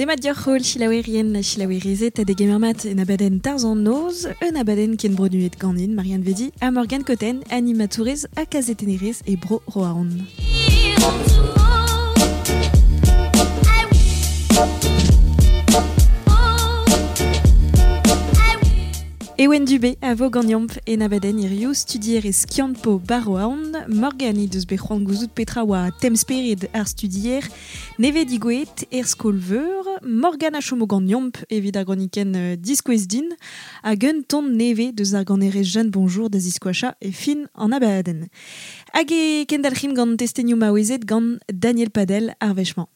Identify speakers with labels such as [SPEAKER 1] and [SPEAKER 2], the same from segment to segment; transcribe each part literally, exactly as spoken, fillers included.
[SPEAKER 1] Demat dioc'h holl chilaouerien ha chilaouerezed ha degemer mat en abadenn Tarzh an Noz, un abadenn ken bronuet ganin Marianne Vedi ha Morgane Cotten, animatourez ha kazetennerez e Bro Roazhon. Ewen Dubé a vo ganeomp en abadenn hiziv studier e Skiant-Po ba Roazhon, Morgane he deus bet c'hoant gouzout petra oa temz-spered ar studier, nevez digouezet er skol-veur, Morgane a chomo ganeomp evit ar gronikenn diskouez din, hag un ton nevez deus ar ganerez Jeanne Bonjour da ziskoacha e fin an abadenn. Hag e kendalc'himp gant testenioù maouezed gant Daniel Padel ar wech-mañ.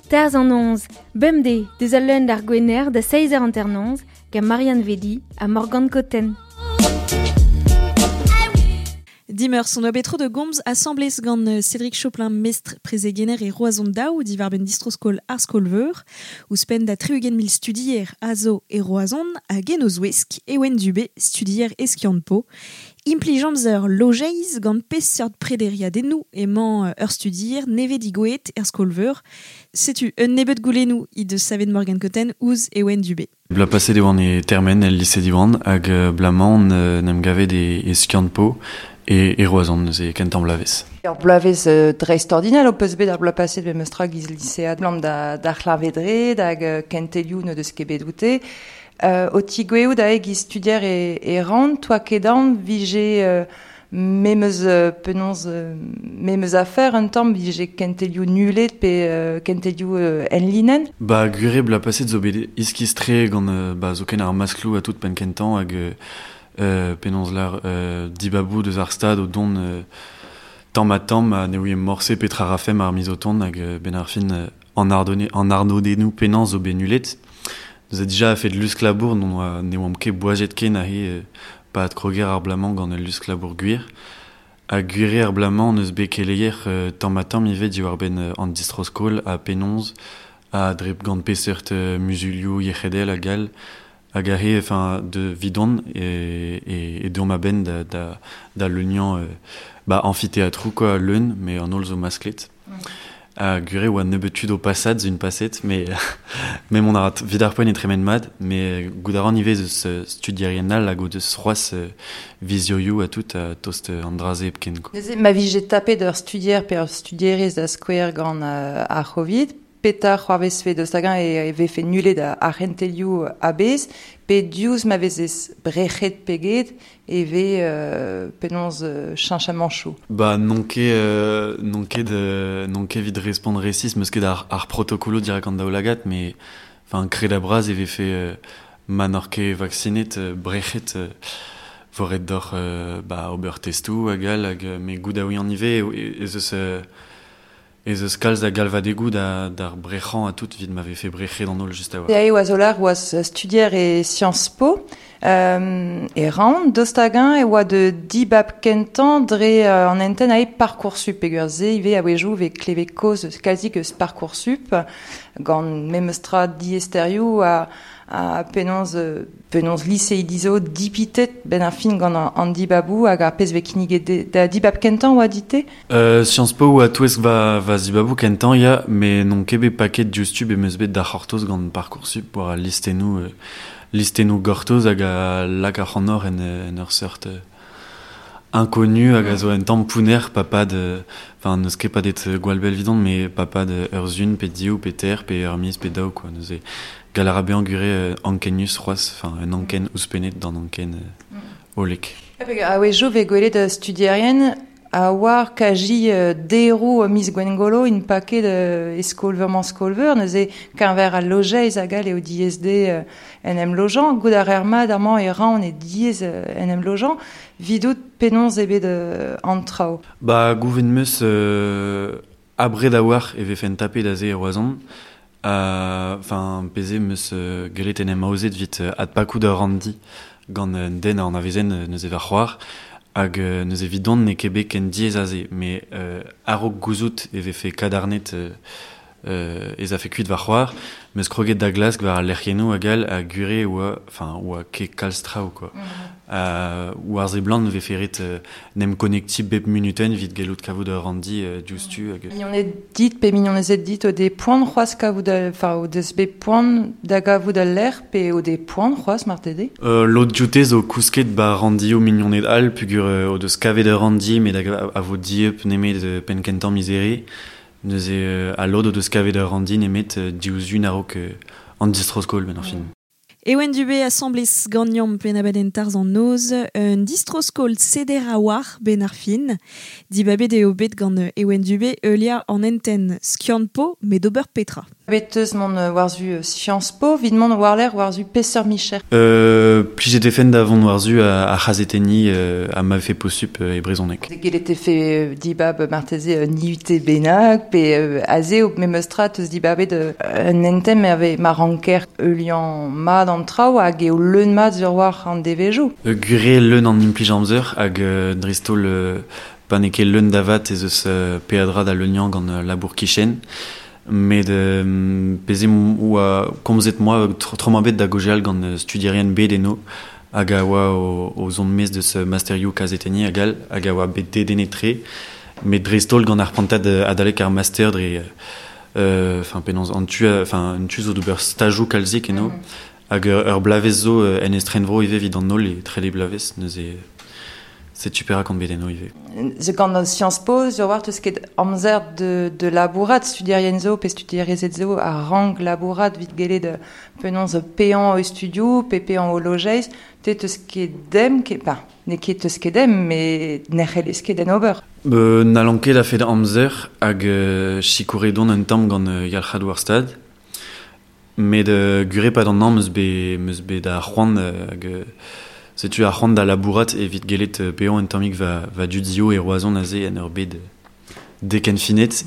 [SPEAKER 2] Tarzh an Noz, bemdez, deus al leun d'ar Gwener da seizh eur hanternoz, gant Marianne Vedi ha Morgane Cotten.
[SPEAKER 1] Dimeurzh on oa bet tro de gomz asambles gant Cédric Choplin mestr prezegenner e Roazhon daou diwar-benn distro-skol ar skol-veur, ouzhpenn da tri-ugent mil studier a zo e Roazhon hag en o zouesk Ewen Dubé, studier e Skiant-Po. Implij amzer lojeiz gant peseurt prederiadennoù emañ ur studier nevez digouezet er skol-veur. Setu un nebeud goulennoù he deus savet Morgane Cotten ouzh Ewen Dubé.
[SPEAKER 3] Bla paset e oan e termen el lycée Diwan hag blamañ n'em gavet e, e Skiant-Po e, e Roazhon neuze kentañ bloavezh.
[SPEAKER 4] Ur bloavezh euh, dreistordinal o peus bet ar bloaz paset bet meus tra giz lycéad blam da, da c'hlavedred hag kentelioù n'o deus ket bet oute. Euh, o tigoueoù da e giz studier e, e ran, toa kedan vije euh, memeus euh, penaos euh, memeus afer un tamm vije kentelioù nulet pe euh, kentelioù euh, en linenn.
[SPEAKER 3] Ba gure bloaz paset zo bet iskis-tre gant euh, ba zoken ar maskloù a tout penn kentañ hag euh, penaos lar euh, dibabou deus ar stad o don euh, tamm ha tamm ha ne ouie morse petra rafem ar miz o tont hag euh, ben ar fin euh, an ardone, an arnodennoù penaos zo bet nulet. Nous a déjà fait de lusk labour, non oa ne oamp ket boajet ken a he euh, pa ad kroger ar blamañ gant ul lusk labour gwir. Ha gwire ar blamañ neus bet keleier euh, tamm ha tamm ivez diwar benn euh, an distro-skol ha penaos ha dre gant peseurt euh, muzulioù yec'hedel hag all hag a he enfin de vidon e, e, e deomp a-benn da, da, da leuniañ euh, ba amphithéâtrou quoi leun mais an holl zo masklet.
[SPEAKER 4] Mm.
[SPEAKER 3] A gure oa nebeut tud o pasad zun paset, mais mais mon arat vid ar poent e tremen mat, mais gout a ran ivez eus studierien all hag o deus c'hoazh vizioioù a tout a tost an draze hepken quoi.
[SPEAKER 4] Neuze, ma vije tapet ur studier pe ur studierez da skouer gant euh, ar Covid, petra c'hoarvezfe deus hag-eñ e, e vefe nullet ar c'hentelioù a-bezh, pe diouzh ma vezez brec'het peget e ve euh, penaos euh, cheñchamanchoù.
[SPEAKER 3] Ba n'on ket euh, n'on ket de, n'on ket evit respont resis, meus ket ar, ar protokolo dirak an daoulagad, mais enfin kred a bras e vefe euh, ma n'oc'h ket vaksinet euh, brec'het euh, voret d'oc'h euh, ba ober testoù hag all hag mais goût da ouian ivez ez eus euh, ez eus kalz da galvadegoù da, d'ar brec'hañ a tout vid m'avait fait brec'het d'an holl just a oa.
[SPEAKER 4] E oa zolar oaz studier e Sciences Po, euh, e ran, deus hag-eñ e oa de dibab kentañ dre euh, an enten ae Parcoursup peogwir se ivez a-wezhioù vez klevet kaoz eus kalzik eus Parcoursup gant memes tra diaesterioù a, a penaos, penaos liseidi zo dipitet ben ar fin gant an, an dibabou hag ar pezh vez kinniget de, da dibab kentañ oa dit-te?
[SPEAKER 3] Euh, Sciences Po oa touesk va, va zibabou kentañ ya, mais n'on ket bet paket diouzhtu bet meus bet da c'hortoz gant Parcoursup war al listennoù, euh, listennoù gortoz hag a lak ar c'hannor en, en ur seurt euh, inconnu hag a zo un tamm pounner papad, enfin n'eus ket padet gwall bell vidon, mais papad ur zun pe div pe ter pe ur miz pe daou quoi. Neuze gal a ra bezañ gure euh, ankenius c'hoazh, enfin un anken ouzhpennet d'an anken euh, olek.
[SPEAKER 4] A-wezhioù vez gwelet studierien a oar kaji euh, deroù miz Gwengolo in paket euh, e skol-veur-mañ skol-veur, neuze keñver al lojeiz hag all eo diaes dezhe euh, en em lojañ, goût ar er mat amañ e ran e diaes euh, en em lojañ, vidout penaos eo bet euh, an traoù.
[SPEAKER 3] Ba gouven meus euh, abred a oar e vefen tapet aze e Roazhon, enfin peze meus euh, gellet en em aozet vit euh, adpakout ur randi gant un den an avezen neuze va c'hoar, hag euh, neuze vidon ne ket bet ken diaes aze, mais euh, a-raok gouzout e vefe kadarnet euh, euh, ez a fe kuit va c'hoar, meus kroget da glask war al lec'hiennoù hag all a gure oa, enfin, oa ket kalz traoù, quoi. Mm -hmm. Uh, ou ar ze blant vefe ret euh, nem konekti bep minuten vit gellout kavout ur randi euh, diouzhtu hag...
[SPEAKER 4] Mignoned dit pe mignonezed dit o des poan c'hoazh kavout enfin o deus bet poan da gavout al lec'h pe o des poan c'hoazh marteze?
[SPEAKER 3] Euh, lod dioute zo kousket ba randioù mignoned all pugur euh, o deus kavet ur randi met a, a vo dieub nemet euh, penn kentañ mizere neuze euh, a lod o deus kavet ur randi nemet euh, diouzh un a-raok euh, an distro-skol ben ar fin.
[SPEAKER 1] Ewen Dubé assemblés gagnon penabaden tarz an noz, un distroskol seder a war ben ar fin. Dibabet eo bet gant Ewen Dubé eulia an enten skiant po met d'ober petra.
[SPEAKER 4] Bet eus mont warzu Sciences Po, vid mont warler warzu Peseur Micher.
[SPEAKER 3] Euh, plijet defen d'avant warzu a, a c'hazeteni euh, a ma fe posup e brezhoneg.
[SPEAKER 4] Gellet e fe dibab marteze niute bennak, pe euh, aze o memeustra teus dibabet un enten me ave ma ranker eulian mad an traoù hag eo leun mat sur war an devejo.
[SPEAKER 3] Euh, gure leun an implij amzer hag euh, dreist-holl euh, pa n'eo ket leun davat ez eus euh, peadra da leuniañ gant euh, labour kichen. Met euh, peze oa komzet moa tro ma bet da gojeal gant studierien bet eno hag a oa o, o zon mez deus masterioù kazeteni hag all hag a oa bet dedennet tre met dreist-holl gant ar prantad adalek ar master dre enfin euh, penaos an tu enfin un tu zo d'ober stajoù kalzik eno mm -hmm. hag ur blavez zo en estrenvro ivez evit an holl e trele blavez neuze setu perak an bet eno ivez.
[SPEAKER 4] Ze gant an Sciences Po, zo war teus ket amzer de, de labourat studierien zo pe studierezed zo a rank labourat vit gellet de penaos pean o studio, pe pean o lojeiz, te teus ket dem, ket, ben, ne ket teus ket dem, met n'ec'hellez ket den ober.
[SPEAKER 3] Euh, n'allan ket a fet amzer hag euh, sikouret don un tamm gant euh, yalc'had war stad, met euh, gure pad an an meus bet, meus bet da c'hoant euh, hag... Euh, setu ar c'hoant da labourat evit gellet pean un tammig va, va dudio e Roazhon aze en ur bed deken finet.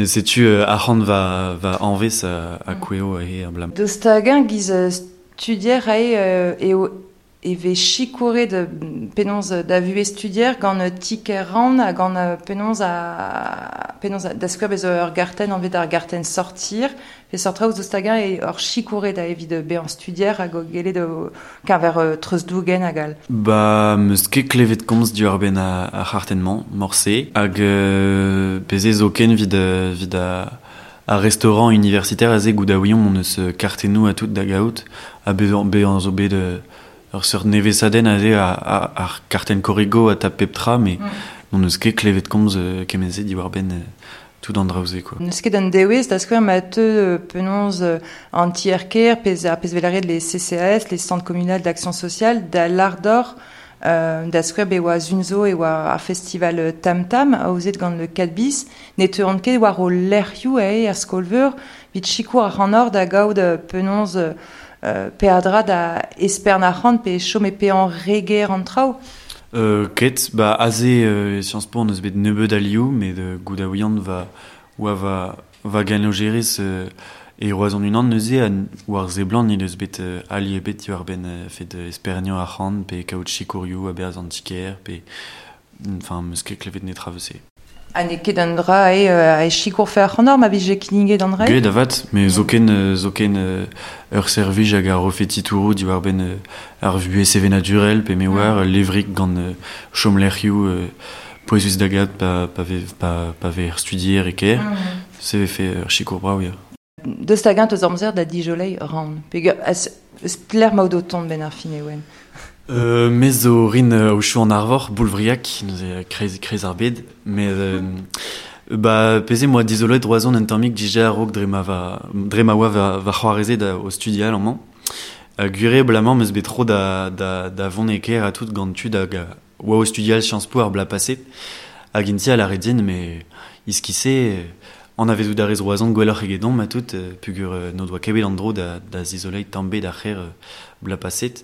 [SPEAKER 3] Setu ar c'hoant va, va anvez a, a koueo e ar blam.
[SPEAKER 4] Deus hag-eñ giz studier ae eo e vez sikouret de penaos da vuhez studier gant tiker ran ha gant penaos a penaos da skouer bez ur gartenn anvet ar gartenn sortir pe sortra ouzh deus hag-eñ e ur sikouret da evit bezañ studier hag o gellet keñver treuzdougen hag all.
[SPEAKER 3] Ba meus ket klevet komz diwar benn ar c'hartenn-mañ morse hag euh, peze zoken vid vid a ar restaurant universitaire aze goût da ouiomp on eus kartennoù a tout da gaout ha bezañ bezañ zo bet ur seurt nevesadenn aze a, a, ar kartenn korrigo a tap pep tra, mais mm. n'on eus ket klevet komz euh, kement-se diwar benn euh, tout an draoù-se, quoi.
[SPEAKER 4] N'eus ket an dewez da skouer ma teu penaos an tier-kêr, pez ar pez velaret les C C A S, les centres communaux d'action sociale, da l'ardor euh, da skouer be oa zunzo e oa ar festival Tam Tam, aozet gant le quatre bis, ne teuont ket war o lec'hioù ae ar skolveur, vit sikour ar an or da gaout penaos Euh, peadra da espern ar c'hant pe chom e pe an reger an traoù.
[SPEAKER 3] Euh, ket, ba aze euh, Sciences Po on eus bet nebeud alioù, met euh, goût da ouiant va oa va va ganojerez euh, e Roazhon unan neuze a war ze blant nil eus bet euh, ali ebet diwar benn euh, fet esperniañ ar c'hant pe kaout sikourioù a berzh an tiker pe enfin meus ket klevet netra vese.
[SPEAKER 4] Ha n'eo ket an dra e, euh, e sikour fe ar c'hant ma vije kinniget an dra?
[SPEAKER 3] Get avat, me zoken, zoken euh, ur servij hag ar refet titourou diwar benn euh, ar vuhez sevenadurel pe me war levrik gant euh, chomlec'hioù euh, pouezus da gad pa, pa, ve, pa, pa ve studier e ker. Mm -hmm. Se ve fe ur sikour brav, ya.
[SPEAKER 4] Deus hag-eñ teus amzer da dijolei ran. Pe eus pler maout o tont ben ar fin ewen.
[SPEAKER 3] Euh, me zo rin euh, o an arvor, boulvriak, neuze kreiz, kreiz ar bed, met euh, ba peze moa dizoloet Roazhon un tammig dija a-raok dre ma va, dre ma oa va, va c'hoareze da o studial amañ. Uh, gure blamañ meus bet tro da, da, da vont e kêr a tout gant tud hag oa o studial Sciences Po ar bla paset. Hag inti a lâret din, mais iskise an avezout ar rez Roazhon gwelloc'h egedon ma tout, pugur n'o doa ket bet an dro da, da zizoleit tamm bet ar c'hêr bla paset.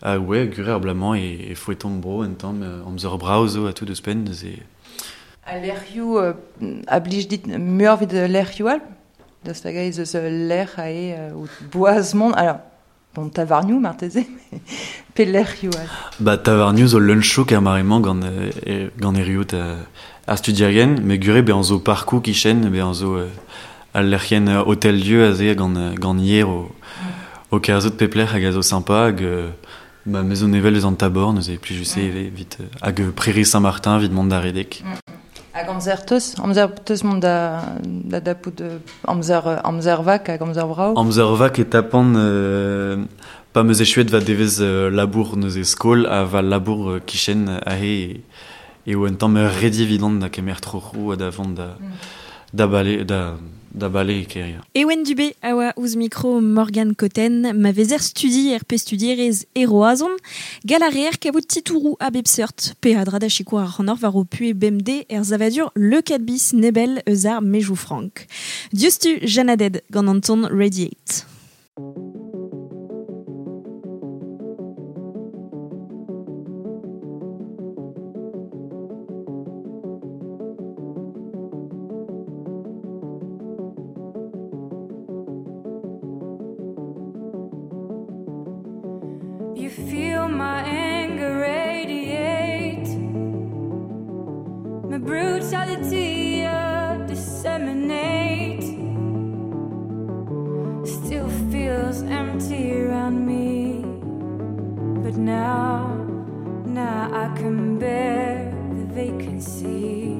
[SPEAKER 3] Ah ouais, gure ar blamañ e, e fouetomp bro un tamm amzer brav zo a tout eus penn neuze.
[SPEAKER 4] A lec'hioù euh, a blij dit muioc'h evit lec'hioù all? Deus hag-eñ ez eus lec'h ae euh, boaz mont, alors Bon, tavarnioù marteze, pe lec'hioù all.
[SPEAKER 3] Ba tavarnioù zo leun-chouk er mare-mañ gant, e, gant eriout euh, ar studierien, me gure bezañ zo parkoù kichen, bezañ zo euh, al lec'hien euh, hôtel Dieu aze gant, gant hier o, o kerzhout pep lec'h hag a zo sympa hag euh, ba me zo nevel eus an tabor, neuze plij je sais mm. vit hag Prairie Saint-Martin vit mont da redek.
[SPEAKER 4] Mm. Hag amzer teus, amzer teus mont da, da dapout amzer, amzer vak hag amzer brao.
[SPEAKER 3] Amzer vak e tapan euh, pa meus echuet va devez euh, labour neuze skol ha va labour euh, kichen ahe e o un tamm redi vidant da kemer troc'hou ha da vont da, mm. da bale, da, da bale e keria.
[SPEAKER 1] Ewen Dubé a oa ouzh mikro Morgan Cotten, ma vezer studi er pe studierez e Roazhon, gal a reer kavout titourou a bep seurt, pe a dra da sikour ar c'hannor war o pue B M D er zavadur Le quatre bis nebel eus ar mejou frank. Dieustu Janaded gant Anton Radiate.
[SPEAKER 2] You feel my anger radiate, my brutality uh, disseminate. Still feels empty around me, but now, now I can bear the vacancy.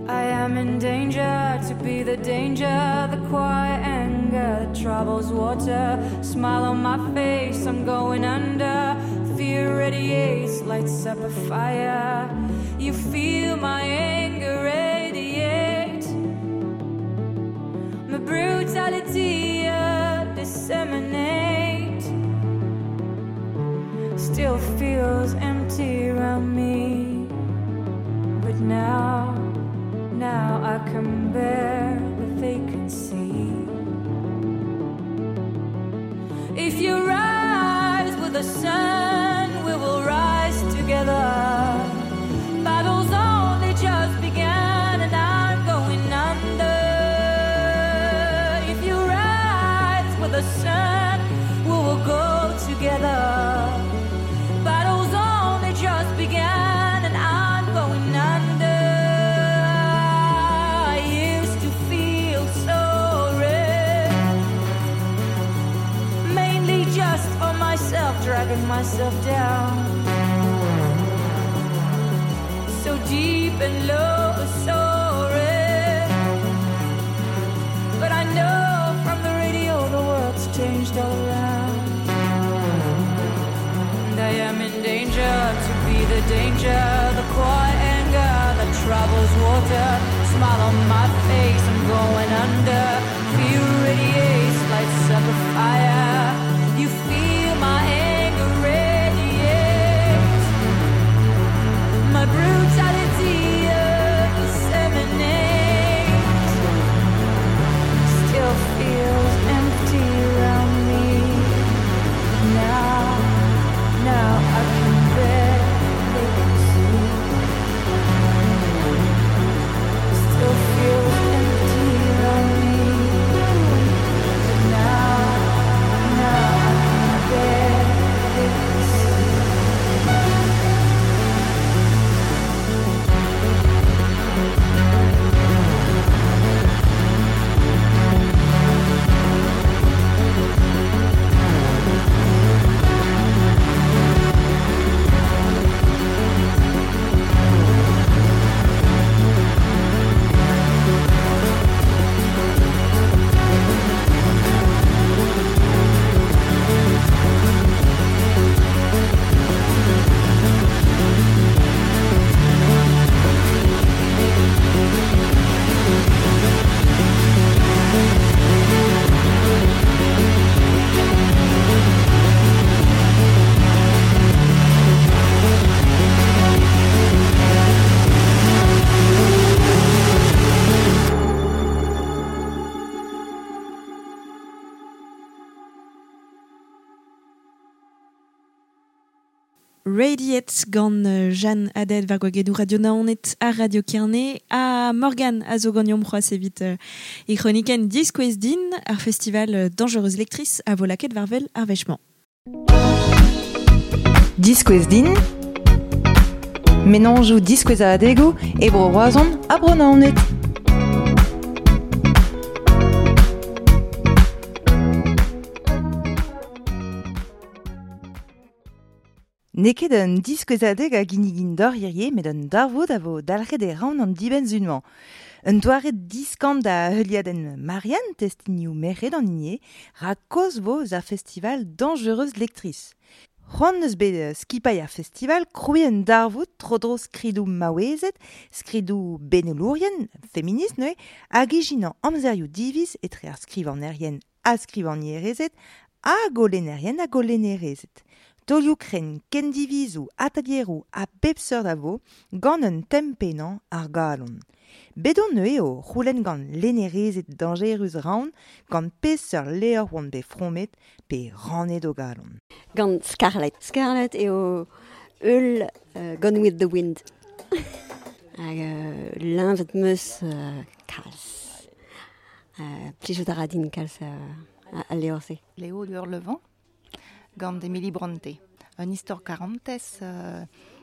[SPEAKER 2] I am in danger to be the danger, the quiet anger that troubles water. Smile on my face, I'm going under. Fear radiates, lights up a fire. You feel my anger radiate, my brutality uh, disseminate. Still feels empty around me, but now, now I can bear the vacancy. If you rise with the sun, we will rise together. Battle's only just begun and I'm going under. If you rise with the sun, we will go together. Battle's only just begun and I'm going under. I used to feel so red, mainly just for myself, dragging myself down. So deep and low, so red. But I know from the radio the world's changed all around. And I am in danger to be the danger, the quiet anger that troubles water. Smile on my face, I'm going under. Fear radiates, lights up a fire. You feel my anger radiate, my brutality uh, disseminate. Still feels empty around me. Now, now I can bear vacancy. Still feels empty around me. But now,
[SPEAKER 1] Radiate gant Jeanne Haddad war gwagedou Radio Naoned ha Radio Kerne ha Morgan a zo ganeomp c'hoazh evit euh, e chroniken diskouez din ar festival Dangereuse Lectrice a vo lakaet war wel ar wech-mañ.
[SPEAKER 4] Diskouez din, menanjoù diskouez a adego e bro Roazhon ha bro Naoned. N'eo ket un diskouezadeg a ginnigin d'or hirie, met un darvoud a vo dalc'het e ran an dibenn-zunmañ. Un doare diskant da heuliadenn Marianne testinioù merc'hed an hini, ra koz vo eus ar festival Dangereuse Lectrice. C'hoant eus bet skipailh ar festival krouiñ un darvoud tro-dro skridoù maouezed, skridoù benelourien, feminist neuze, hag ijinañ amzerioù diviz etre ar skrivanerien ha skrivagnerezed ha golennerien ha golennerezed. Taolioù krenn, kendivizoù, atelieroù ha bep seurt a vo gant un tem pennañ ar galon. Bet on neuze o c'houlenn gant lennerezed dañjerus Raon gant peseurt levr oant bet fromet pe rannet o galon.
[SPEAKER 5] Gant Scarlett. Scarlett eo eul uh, Gone with the Wind. Hag uh, leñvet meus uh, kalz. Uh, plijout a ra din kalz uh, al levr-se.
[SPEAKER 6] Léo de Hurlevent gant Emily Brontë. Un istor karantez euh,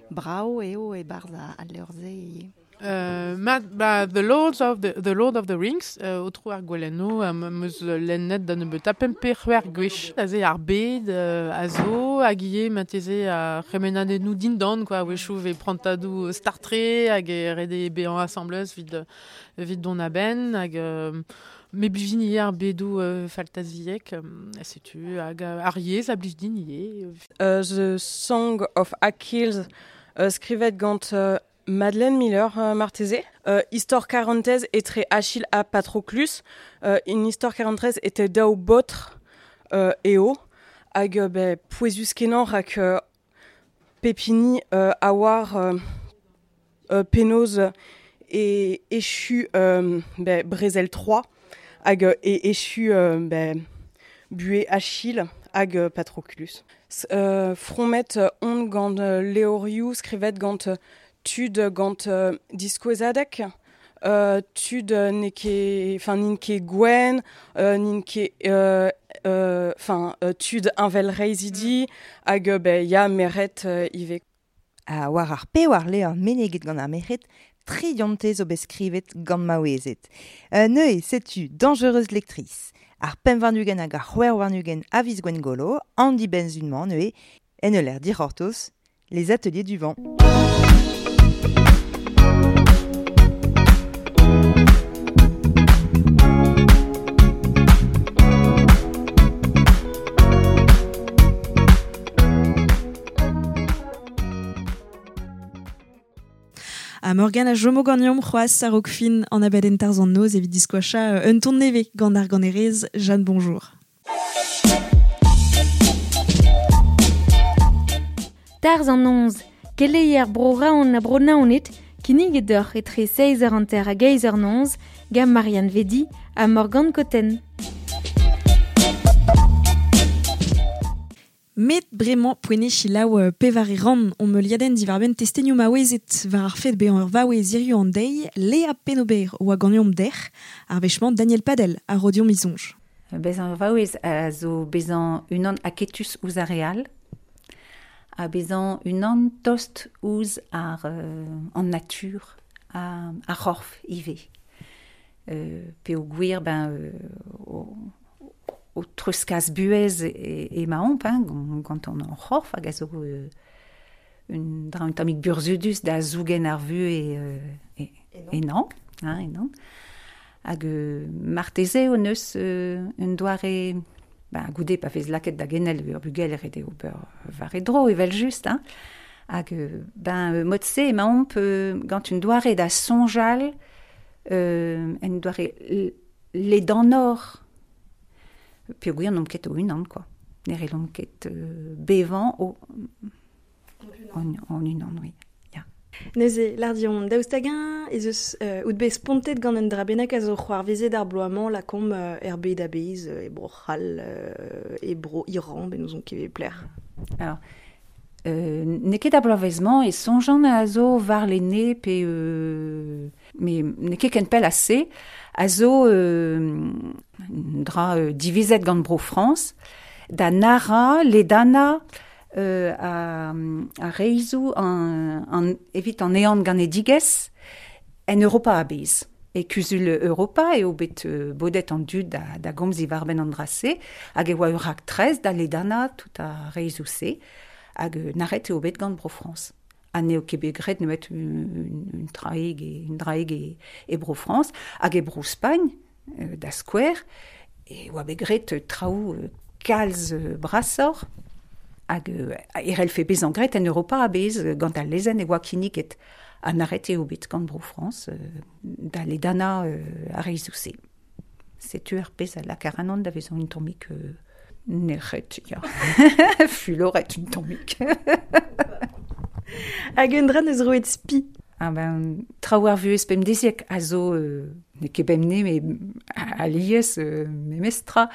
[SPEAKER 6] brao eo e barz al levr-se ivez.
[SPEAKER 7] Euh, ma, ba, The Lord of the, the Lord of the Rings, euh, otro ar gwelenno, euh, meus lennet da nebeut a pempe c'hwec'h gwech. Aze ar bed, euh, a zo, hag ivez mateze a c'hemenadennoù dindan, quoi, a-wechoù ve prantadoù Star Trek, hag e rede bezañ asambles evit, evit dont a-benn, hag... Euh, me blij din ivez ar bedoù euh, faltaziek, euh, setu, hag ar yezh a blij din ivez.
[SPEAKER 8] Uh, The Song of Achilles, uh, skrivet gant uh, Madeleine Miller euh, marteze. Euh, Histoire quarantaise etre Achille ha Patroclus. Euh, une histoire quarantaise était daou botr euh, eo. Hag euh, be, pouezus kenañ rak euh, pepini euh, a war euh, euh, penaos e echu euh, be, Brezel trois. Hag euh, e echu euh, be, bué Achille hag euh, Patroclus. Euh, fromet on gant euh, levrioù skrivet gant euh, tud gant euh, diskouezadeg, euh, tud n'eo ket, enfin n'int ket gwenn, euh, n'int ket, euh, euh, enfin euh, tud heñvelreizhidi, hag euh, be, ya merc'hed euh, ivez.
[SPEAKER 4] Ha war ar pewar levr meneget gant ar merc'hed, tri dionte zo bet skrivet gant maouezed. Euh, neuze, setu Dangereuse Lectrice. Ar pemp warn-ugent hag ar c'hwec'h warn-ugent a viz Gwengolo, an dibenn-zunmañ neuze, en ul lec'h dic'hortoz, les ateliers du vent.
[SPEAKER 1] A Morgan a jomo ganeomp c'hoazh a-raok fin an abadenn Tarzh an Noz evit diskoachañ un ton nevez gant ar ganerez Jeanne Bonjour.
[SPEAKER 9] Tarzh an Noz, keleier bro Raon ha bro Naoned, kinniget deoc'h etre seizh eur hanter hag eizh eur noz, gant Marianne Vedi ha Morgan Cotten.
[SPEAKER 1] Met bremañ poent selaou euh, pevare ran on meuliadenn diwar-benn testenioù maouezed war ar fed bezañ ur vaouez hiziv an deiz, Léa Penobert oa ganeomp dec'h, ar wech-mañ Daniel Padel a ro deomp e soñj.
[SPEAKER 10] Bezañ ur vaouez a zo bezañ unan aketus ouzh ar re all, ha bezañ unan tost ouzh ar euh, an natur, a, ar c'horf ivez. Euh, peogwir ben euh, o, o treuzkas buhez e, e emaomp, hein, gant an c'horf hag a zo euh, un dra un tammig burzhudus da zougen ar vuhez e, e, e non, hein, e non. Hag euh, marteze hon eus euh, un doare, ben, goude pa vez lakaet da genel ur bugel ret eo ober war e dro evel just, hein. Hag ben mod-se emaomp euh, gant un doare da soñjal, euh, un doare ledanoc'h. Peogwir n'omp ket o-unan, quoi. Ne c'hellomp ket euh, bevañ o en, en unan, oui. Ya.
[SPEAKER 1] Neuze, lardion daoust hag-eñ ez eus euh, out bet spontet gant un dra bennak a zo c'hoarvezet ar bloaz-mañ lakaomp euh, er bed a-bezh, e bro C'hall, euh, e bro Iran, ben n'ouzon ket e pelec'h.
[SPEAKER 10] Alors, Euh, n'eo ket a bloavezh-mañ e soñjan a zo war lene pe euh, me n'eo ket ken pell ase a zo euh, dra euh, divizet gant Bro France da nara ledana euh, a, a reizou an, an, evit an ean ganedigezh en Europa a-bezh. E kuzul Europa eo bet euh, bodet an dud da, da gomz ivarben an drase, hag e oa ur rak trez da ledana tout a reizou-se, hag euh, naret eo bet gant Bro France. Ha n'eo ket bet graet nemet un, un traig e, un draig e, e Bro France, hag e Bro Spagn, euh, da skouer, e oa bet graet traoù euh, kalz euh, brasor, hag euh, erel fe bezañ graet en Europa a-bezh gant al lezenn e oa kinniget ha naret eo bet gant Bro France euh, da ledana euh, ar reizou-se. Setu ar pezh a lakaran da vezañ un tammig euh, nec'het, ya. Fuloret un tammig.
[SPEAKER 1] Hag un dra neus roet spi.
[SPEAKER 10] Ah ben, traoù ar vuhez pemdeziek a zo, euh, n'eo ket bemne, me alies, euh, memestra,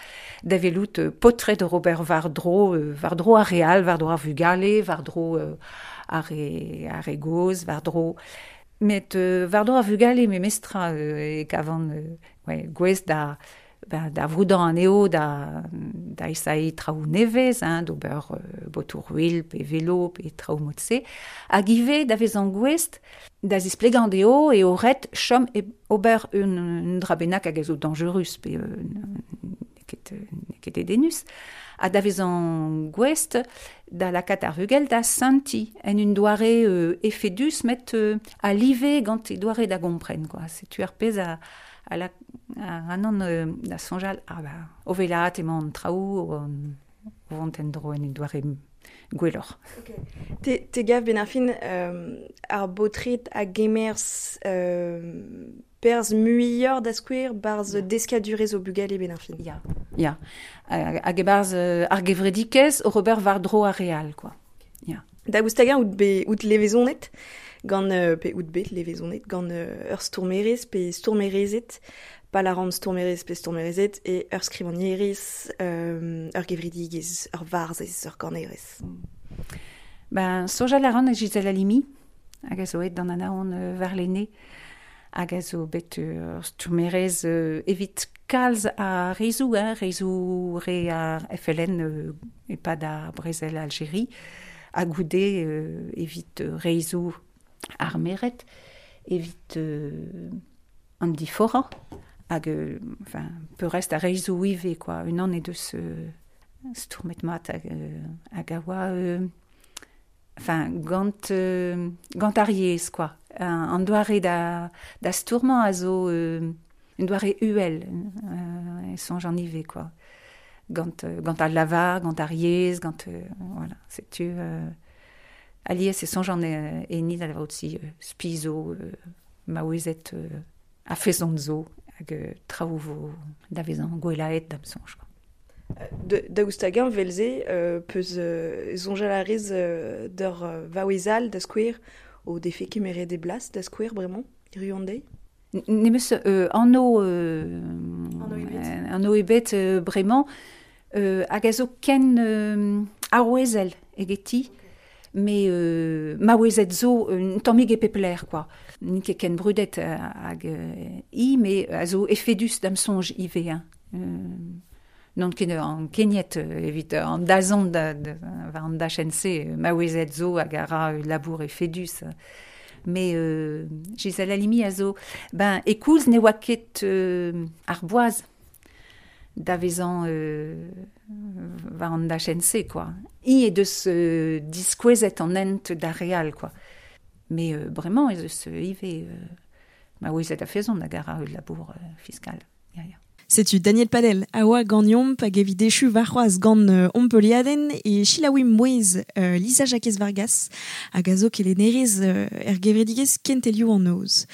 [SPEAKER 10] da velout euh, potret de Robert Vardro, euh, Vardro ar real, Vardro ar vugale, Vardro euh, ar re, ar re goz, Vardro... Met euh, Vardro ar vugale memestra, euh, e kavan euh, ouais, gwez da... Ben, da vroudañ an eo da, da esai traoù nevez, hein, d'ober euh, botour wil, pe velo, pe traoù mod-se, hag ivez da vezañ gouest da zisplegañ dezho e o ret chom e ober un, un dra bennak hag a zo dangerus, pe euh, n'eo ket, n'eo ket dedennus, ha da vezañ gouest da lakaat ar vugel da senti en un doare euh, efedus met euh, a live gant e doare da gompren, quoi. Setu ar pezh a, a la a anon euh, da soñjal ah ba o velat emañ an traoù o o vont en dro en un doare gwelloc'h.
[SPEAKER 1] Okay. Te, te gav ben ar fin euh, ar baotred a gemerz euh, perzh muioc'h da skouer barzh yeah. deskadurezh o bugale ben ar fin.
[SPEAKER 10] Ya, ya. Hag e barzh euh, ar gevredikez o Robert war-dro ar real, quoi. Ya.
[SPEAKER 1] Da goustaga out be out levezonet gant euh, pe out bet levezonet gant euh, ur stourmerez pe stourmerezet pa la ran stourmerez pe stourmerezet e ur skrivagnerez euh, ur gevredigez ur varzhez ur ganerez.
[SPEAKER 10] Ben soñjal a ran e Gisèle Halimi hag a zo aet d'an anaon euh, war lene hag a zo bet ur stourmerez euh, evit kalz a rezoù, hein, rezoù re ar F L N euh, e-pad ar brezel Algérie, ha goude euh, evit rezoù ar meret, evit euh, an diforañ, hag euh, enfin, peurrest ar rezoù ivez, quoi. Unan e deus euh, stourmet mat hag, euh, hag a oa euh, enfin, gant, euh, gant ar yezh, quoi. An doare da, da stourmañ a zo euh, un doare uhel, euh, e soñj an ivez, quoi. Gant, euh, gant al lavar, gant ar yezh, gant, euh, voilà, setu... Euh, alies e soñj an e, e ni da lavarout-si euh, spizo, euh, maouezet euh, a fezont zo, hag euh, traoù vo da vezañ gwelaet da'm soñj, quoi.
[SPEAKER 1] De, daoust hag-eñ vel-se euh, peus euh, soñjal a rez euh, d'ur euh, vaouezal da skouer o defe kemeret e blas da skouer bremañ, hiziv an deiz?
[SPEAKER 10] Nemeus euh, anv euh, anv ebet euh, bremañ euh, hag a zo ken euh, arouezel egeti, me euh, maouezet zo un tammig e pep lec'h, quoi. N'int ket ken brudet hag euh, i, me a zo efedus da'm soñj ivez, hein. Euh, non ket an keniet evit an dazont da, da, war an dachenn-se, maouezet zo hag a ra labour efedus. Mais euh, Gisèle Halimi a zo, ben, e koulz ne oa ket euh, ar boaz da vezañ euh, war an dachenn-se, quoi. I e deus euh, diskouezet an hent d'ar real, quoi. Mais euh, bremañ ez eus ivez euh, maouezet a fezont hag a ra ul labour euh, fiskal. Ya, ya.
[SPEAKER 1] Setu Daniel Padel a oa ganeomp hag evit echu warc'hoazh gant euh, Ompeliaden e Chilaoui Mouez euh, Lisa Jakez Vargas hag a zo kelennerez euh, er gevredigezh Kentelioù an noz.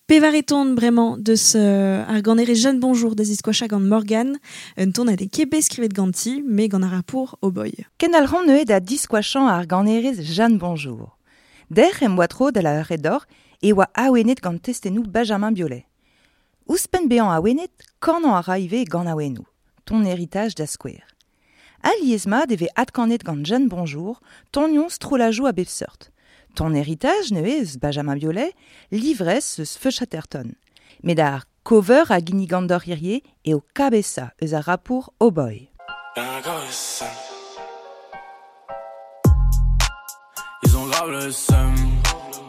[SPEAKER 1] Pevar e ton bremañ deus euh, ar ganerez Jeanne Bonjour da ziskoachañ gant Morgan, un ton a de kebe skrivet ganti, me gant ar rapour o boy.
[SPEAKER 4] Ken al ran neuze da diskoachañ ar ganerez Jeanne Bonjour. Der em boa tro da la redor e oa awenet gant testennoù Benjamin Biolay. Ouzhpenn bezañ awenet, kanañ a ra ivez gant awennoù, ton héritage da skouer. Aliez mat e vez adkanet gant Jeanne Bonjour, tonion strollajou a bep seurt. Ton héritage neuze eus Benjamin Biolay, livrez eus Feu Chatterton. Met ar cover a gini gant hirie e o kabesa eus ar rapour Oh Boy.
[SPEAKER 11] Ils ont grave le seum,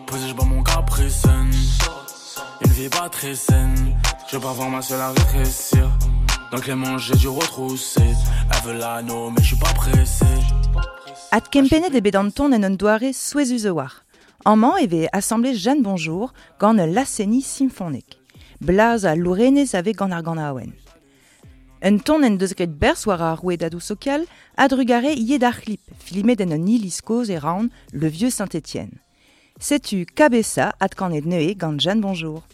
[SPEAKER 11] posé je bois mon caprice. Une vie pas très saine, je veux pas voir ma seule à rétrécir. Donc les manches j'ai dû retrousser. Elle veut l'anneau mais je suis pas pressé.
[SPEAKER 4] At kempenet e bet an ton en un doare souezhus war. Amañ e vez assemblé Jeanne Bonjour gant ul laz-seniñ symphonique. Blaz a lourenez ave gant ar ganaouenn. Un ton en deus graet berzh war ar rouedadoù sokial a drugare ivez d'ar c'hlip, filmet en un iliz kozh e Rouen, le vieux Saint-Étienne. Setu Cabessa adkanet neuze gant Jeanne Bonjour.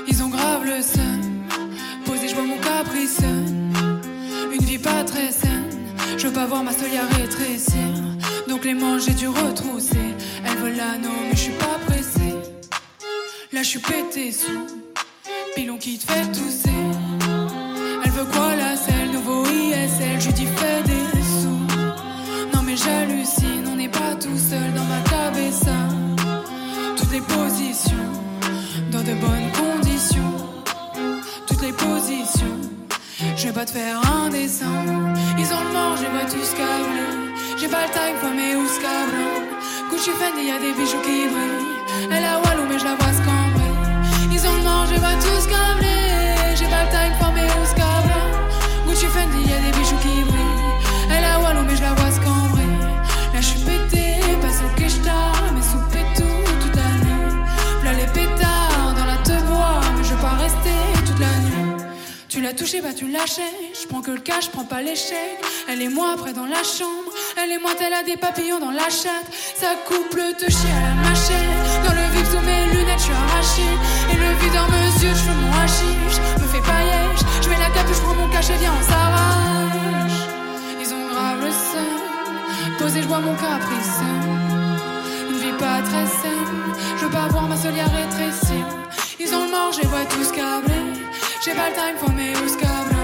[SPEAKER 12] Ils ont grave le seum, posé je bois mon caprice. Une vie pas très saine, je veux pas voir ma solière rétrécir. Donc les manches j'ai dû retrousser. Elle veut l'anneau mais je suis pas pressée. Là je suis pété sous pilon qui te fait tousser. Elle veut quoi la selle, nouveau I S L, je lui dis fais des sous. Non mais j'hallucine, on n'est pas tout seul dans ma cabeza. Toutes les positions, dans de bonnes conditions. Toutes les positions, je vais pas te faire un dessin. Ils ont le mort, je les vois tous câblés. J'ai pas le time, mais où ce Gucci Fendi, y'a des bijoux qui brillent. Elle a Walou, mais je la vois scambrer. Ils ont le mort, je les vois tous câblés. J'ai pas le time, mais où ce Gucci Fendi, y'a des bijoux qui brillent. Elle a Walou, mais je la vois scambrer. Là, je suis pété, passe au keshta, mais soupé tout toute la nuit. V'là les pétards dans la te bois, mais je veux pas rester toute la nuit. Tu l'as touché, bah tu lâchais. Je prends que le cash, je prends pas l'échec. Elle et moi après dans la chambre. Elle et moi, elle a des papillons dans la chatte. Ça coupe le te chie à la machette. Dans le vif sous mes lunettes, je suis arrachée. Et le vide dans mes yeux, je fais mon hashish. Me fais pas yesh. Je mets la capuche, je prends mon cachet, viens, on s'arrache. Ils ont grave le seum. Posé, je bois mon caprice. Une vie pas très saine. Je veux pas voir ma solière rétrécir. Ils ont le mort, je les vois tous câblés. J'ai pas le time for mes ouscables.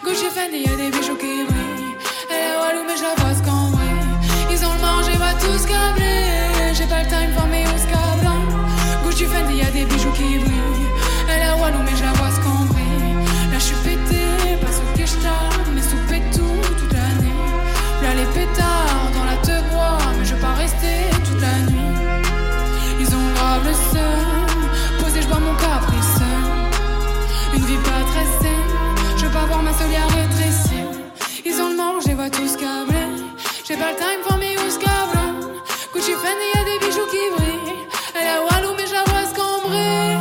[SPEAKER 12] Gucci Fendi, y'a des bijoux qui brillent. Elle est walou, mais je la vois scambrer. Ils ont le mort, je les vois tous câblés. J'ai pas le time for mes ouscables. Gucci Fendi, y'a des bijoux qui brillent. Elle est walou, mais je la vois scambrer. Là, je suis pété, passe au keshta, mais soupé tout toute l'année. Là, les pétards dans la te bois, mais je veux pas rester toute la nuit. Ils ont grave le seum, posé, je bois mon caprice. Une vie pas très saine, je veux pas voir ma solière rétrécir. Ils ont le mort, je les vois tous câblés. J'ai pas le time for me ou ce Gucci Fendi, y'a des bijoux qui brillent. Elle a Walou, mais je la vois scambrer.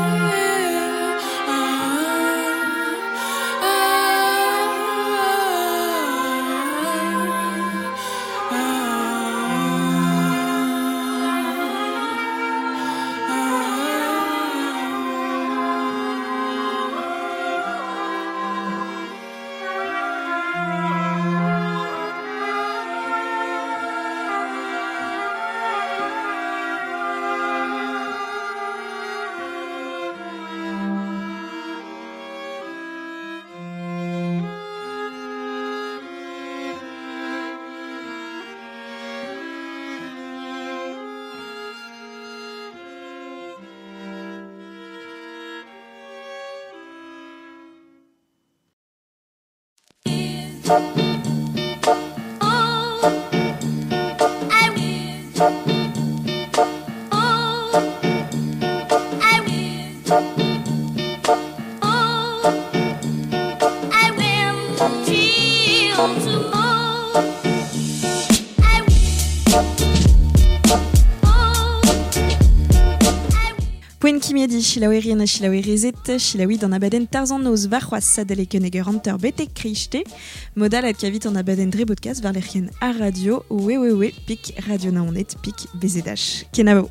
[SPEAKER 1] Poent kimiadi chilaouerien ha chilaouerezet, chilaoui d'an abadenn tarzan noz varc'hoazh sadalek un eger hanter betek kreiste. Modal ad kavit an abadenn dre podcast war lec'hien ar radio, www pik radio naoned pik bezedach. Kenavo.